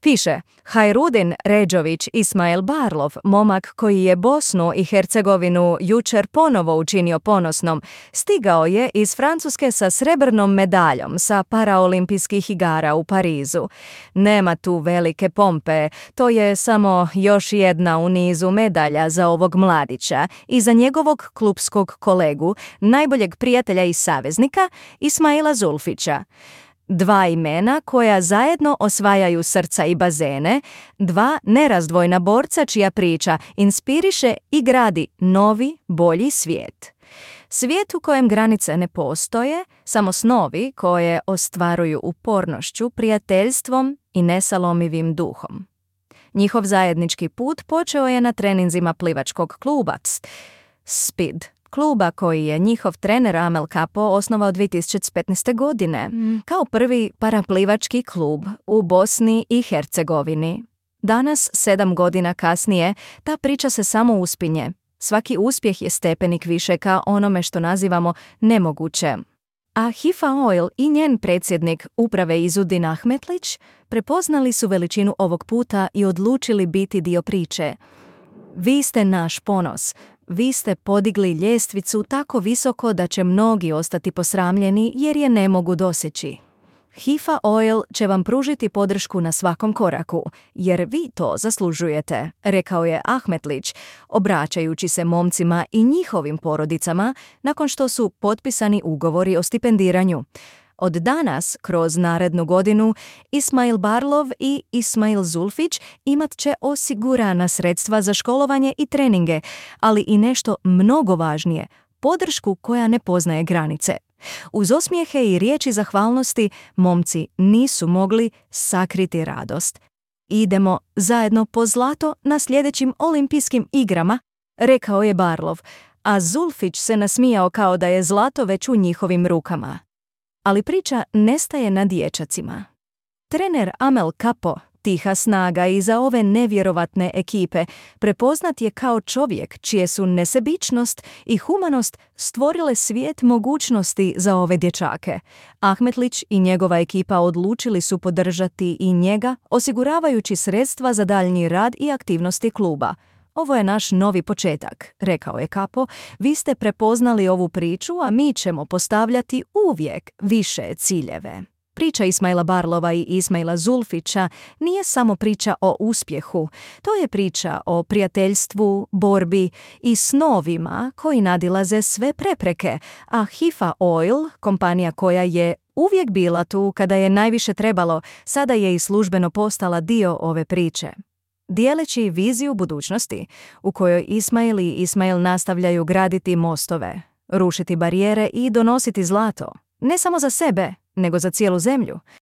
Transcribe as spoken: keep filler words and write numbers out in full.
Piše, Hajrudin Ređović Ismail Barlov, momak koji je Bosnu i Hercegovinu jučer ponovo učinio ponosnom, stigao je iz Francuske sa srebrnom medaljom sa paraolimpijskih igara u Parizu. Nema tu velike pompe, to je samo još jedna u nizu medalja za ovog mladića i za njegovog klupskog kolegu, najboljeg prijatelja i saveznika, Ismaila Zulfića. Dva imena koja zajedno osvajaju srca i bazene, dva nerazdvojna borca čija priča inspiriše i gradi novi, bolji svijet. Svijet u kojem granice ne postoje, samo snovi koje ostvaruju upornošću, prijateljstvom i nesalomivim duhom. Njihov zajednički put počeo je na treninzima plivačkog kluba Spid, kluba koji je njihov trener Amel Capo osnovao dvije tisuće petnaeste. godine mm. kao prvi paraplivački klub u Bosni i Hercegovini. Danas, sedam godina kasnije, ta priča se samo uspinje. Svaki uspjeh je stepenik više ka onome što nazivamo nemoguće. A Hifa Oil i njen predsjednik uprave Izudin Ahmetlić prepoznali su veličinu ovog puta i odlučili biti dio priče. Vi ste naš ponos. Vi ste podigli ljestvicu tako visoko da će mnogi ostati posramljeni jer je ne mogu doseći. Hifa Oil će vam pružiti podršku na svakom koraku, jer vi to zaslužujete, rekao je Ahmetlić, obraćajući se momcima i njihovim porodicama nakon što su potpisani ugovori o stipendiranju. Od danas, kroz narednu godinu, Ismail Barlov i Ismail Zulfić imat će osigurana sredstva za školovanje i treninge, ali i nešto mnogo važnije, podršku koja ne poznaje granice. Uz osmijehe i riječi zahvalnosti, momci nisu mogli sakriti radost. Idemo zajedno po zlato na sljedećim olimpijskim igrama, rekao je Barlov, a Zulfić se nasmijao kao da je zlato već u njihovim rukama. Ali priča nestaje na dječacima. Trener Amel Capo, tiha snaga iza ove nevjerovatne ekipe, prepoznat je kao čovjek čije su nesebičnost i humanost stvorile svijet mogućnosti za ove dječake. Ahmetlić i njegova ekipa odlučili su podržati i njega, osiguravajući sredstva za daljnji rad i aktivnosti kluba. Ovo je naš novi početak, rekao je Capo, vi ste prepoznali ovu priču, a mi ćemo postavljati uvijek više ciljeve. Priča Ismaila Barlova i Ismaila Zulfića nije samo priča o uspjehu, to je priča o prijateljstvu, borbi i snovima koji nadilaze sve prepreke, a Hifa Oil, kompanija koja je uvijek bila tu kada je najviše trebalo, sada je i službeno postala dio ove priče. Dijeleći viziju budućnosti u kojoj Ismail i Ismail nastavljaju graditi mostove, rušiti barijere i donositi zlato, ne samo za sebe, nego za cijelu zemlju.